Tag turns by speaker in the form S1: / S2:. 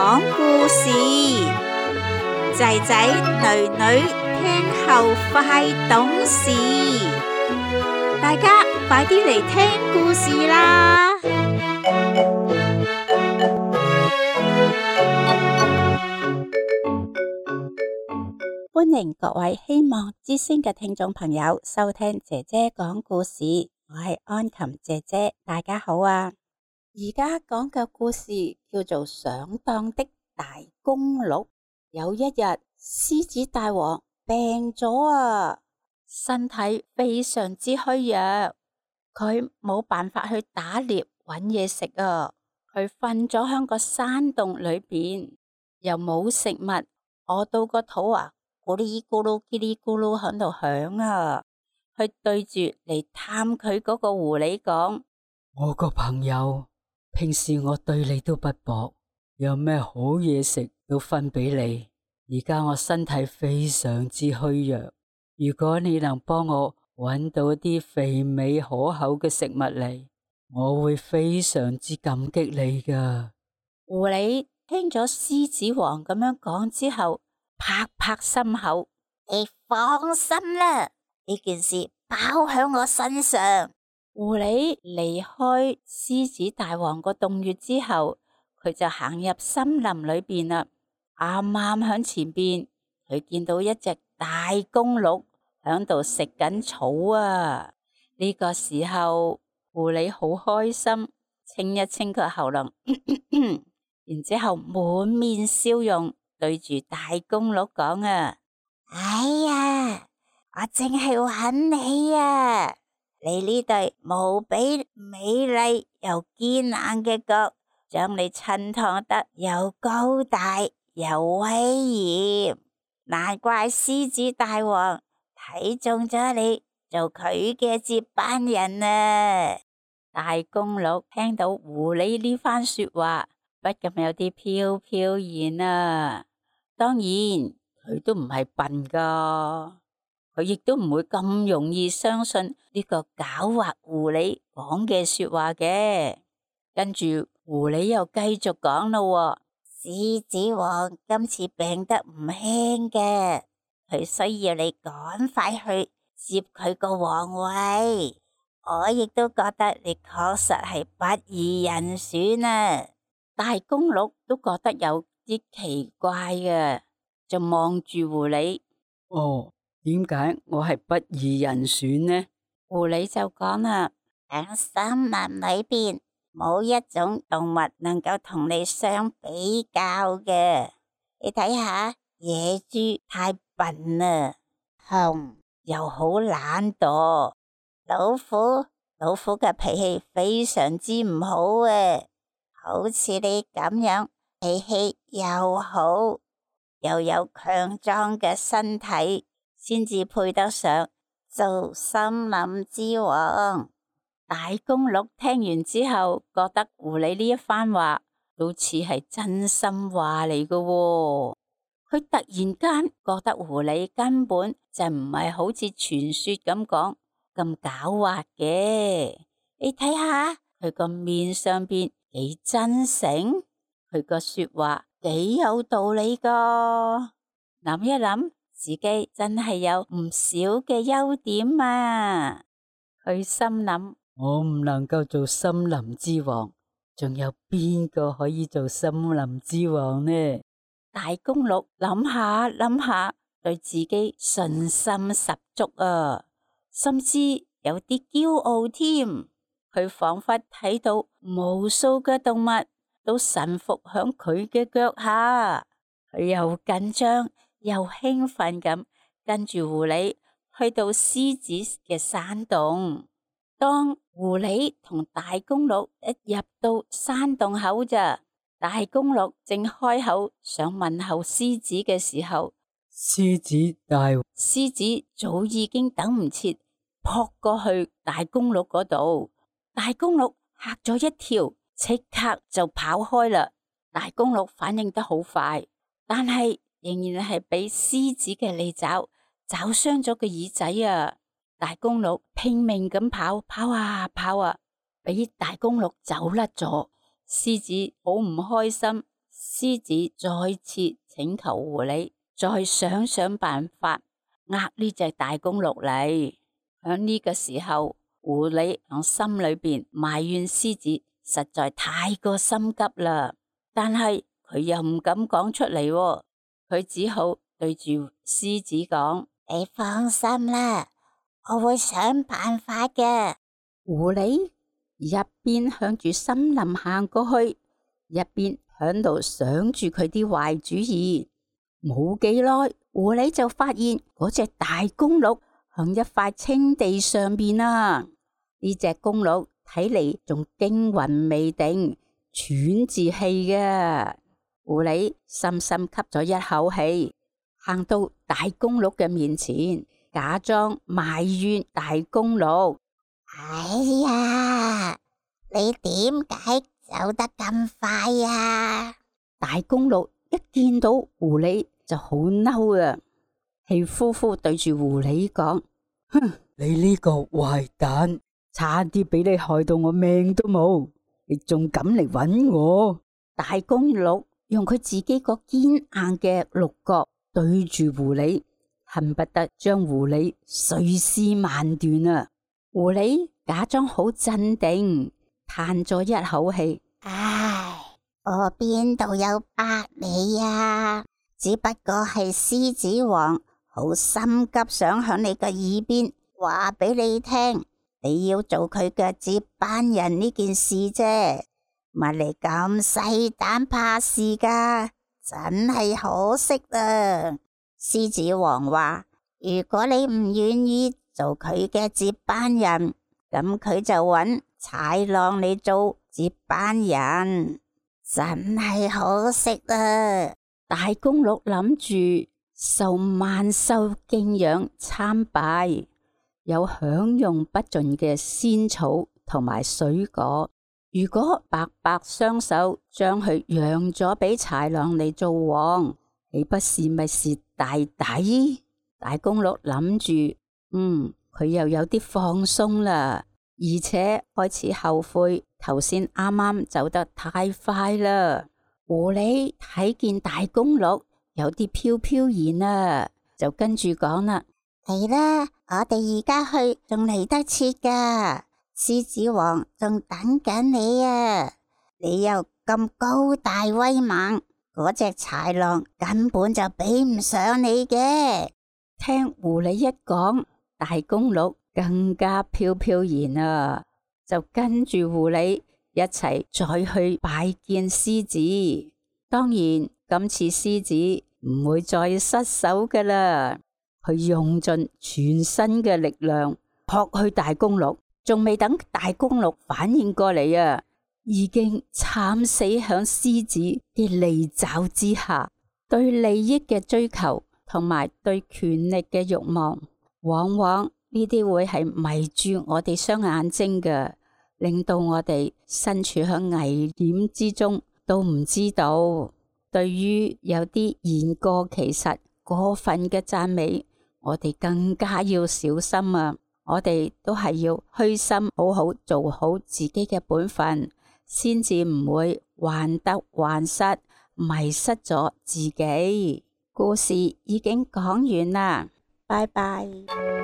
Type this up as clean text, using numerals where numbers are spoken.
S1: 講故事，仔仔女女聽後快懂事，大家快啲嚟聽故事啦！歡迎各位希望之聲嘅聽眾朋友收聽姐姐講故事，我係安琴姐姐，大家好啊！而家講嘅故事叫做上當的大公鹿。有一日，獅子大王病咗啊，身體非常之虛弱，佢冇辦法去打獵搵嘢食啊，佢瞓咗喺個山洞裏邊，又冇食物，餓到個肚啊咕哩咕嚕嘰哩咕嚕喺度響啊，佢對住嚟探佢嗰個狐狸講：
S2: 我個朋友，平時我對你都不薄，有咩好嘢食都分俾你。而家我身體非常之虛弱，如果你能幫我搵到啲肥美可口嘅食物嚟，我會非常之感激你噶。
S1: 狐狸聽咗獅子王咁樣講之後，拍拍心口：你放心啦，呢件事包喺我身上。狐狸離開獅子大王個洞穴之後，佢就行入森林裏邊啦。啱啱響前邊，佢見到一隻大公鹿響度食緊草啊！呢個時候，狐狸好開心，清一清佢喉嚨，然之後滿面笑容對住大公鹿講啊：哎呀，我淨係揾你啊！你呢對無比美麗又堅硬嘅角，將你襯托得又高大又威嚴，難怪獅子大王睇中咗你做佢嘅接班人啊！大公鹿聽到狐狸呢番說話，不禁有啲飄飄然啊。當然佢都唔係笨噶，佢亦都唔會咁容易相信呢個狡猾狐狸講嘅說話嘅。跟住狐狸又繼續講咯，獅子王今次病得唔輕嘅，佢需要你趕快去接佢個皇位。我亦都覺得你確實係不二人選啊！大公鹿都覺得有啲奇怪嘅，就望住狐狸。
S2: 哦，點解我係不二人選呢？
S1: 狐狸就講啦：喺森林裏邊，冇一種動物能夠同你相比較嘅。你睇下，野豬太笨啦，熊又好懶惰，老虎嘅脾氣非常之唔好啊！好似你咁樣，脾氣又好，又有強壯嘅身體，先至配得上做森林之王。大公鹿聽完之後，覺得狐狸呢一番話好似係真心話嚟嘅喎。佢突然間覺得狐狸根本就唔係好似傳說咁講咁狡猾嘅。你睇下佢個面上邊幾真誠，佢個說話幾有道理噶。諗一諗，自己真係有唔少嘅優點啊。佢心諗：
S2: 我唔能夠做森林之王，仲有邊個可以做森林之王呢？
S1: 大公鹿諗下諗下，對自己信心十足啊，甚至有啲驕傲添。佢仿佛睇到無數嘅動物都臣服響佢嘅腳下，佢又緊張又興奮咁跟住狐狸去到獅子嘅山洞。當狐狸同大公鹿一入到山洞口咋，大公鹿正開口想問候獅子嘅時候，
S2: 獅子
S1: 早已經等唔切撲過去大公鹿嗰度。大公鹿嚇咗一跳，即刻就跑開啦。大公鹿反應得好快，但係仍然係俾獅子嘅利爪抓傷咗個耳仔啊！大公鹿拼命咁跑啊，俾大公鹿走甩咗。獅子好唔開心，獅子再次請求狐狸再想辦法呃呢隻大公鹿嚟。響呢個時候，狐狸響心裏邊埋怨獅子實在太過心急啦，但係佢又唔敢講出嚟喎，佢只好對住獅子講：你放心啦，我會想辦法嘅。狐狸一邊向住森林行過去，一邊響度想住佢啲壞主意。冇幾耐，狐狸就發現嗰隻大公鹿響一塊青地上邊啊！呢隻公鹿睇嚟仲驚魂未定，喘住氣嘅。狐狸深深吸咗一口氣，行到大公鹿嘅面前，假裝埋怨大公鹿：哎呀，你點解走得咁快呀？大公鹿一見到狐狸就好嬲啊，氣呼呼對住狐狸講：
S2: 哼，你呢個壞蛋，差啲俾你害到我命都冇，你仲敢嚟搵我？
S1: 大公鹿用佢自己個堅硬嘅鹿角對住狐狸，恨不得將狐狸碎屍萬段啊！狐狸假裝好鎮定，嘆咗一口氣：唉，我邊度有呃你啊？只不過係獅子王好心急，想響你嘅耳邊話俾你聽，你要做佢嘅接班人呢件事啫。乜你咁細膽怕事噶？真係可惜啊！獅子王話：如果你唔願意做佢嘅接班人，咁佢就搵豺狼嚟做接班人。真係可惜啊！大公鹿諗住受萬獸敬仰參拜，有享用不盡嘅仙草同埋水果。如果白白雙手將佢讓咗俾豺狼嚟做王，豈不是咪蝕大底？大公鹿諗住，佢又有啲放鬆啦，而且開始後悔頭先啱啱走得太快啦。狐狸睇見大公鹿有啲飄飄然啊，就跟住講啦：嚟啦，我哋而家去仲嚟得切噶，獅子王仲等緊你啊！你又咁高大威猛，嗰隻豺狼根本就比唔上你嘅。聽狐狸一講，大公鹿更加飄飄然啊，就跟住狐狸一齊再去拜見獅子。當然，今次獅子唔會再失手噶啦，佢用盡全身嘅力量撲去大公鹿，仲未等大公鹿反應過嚟啊，已經慘死響獅子嘅利爪之下。對利益嘅追求同埋對權力嘅慾望，往往呢啲會係迷住我哋雙眼睛嘅，令到我哋身處喺危險之中都唔知道。對於有啲言過其實、過分嘅讚美，我哋更加要小心啊！我哋都係要虛心，好好做好自己嘅本分，先至唔會患得患失，迷失咗自己。故事已經講完啦，拜拜。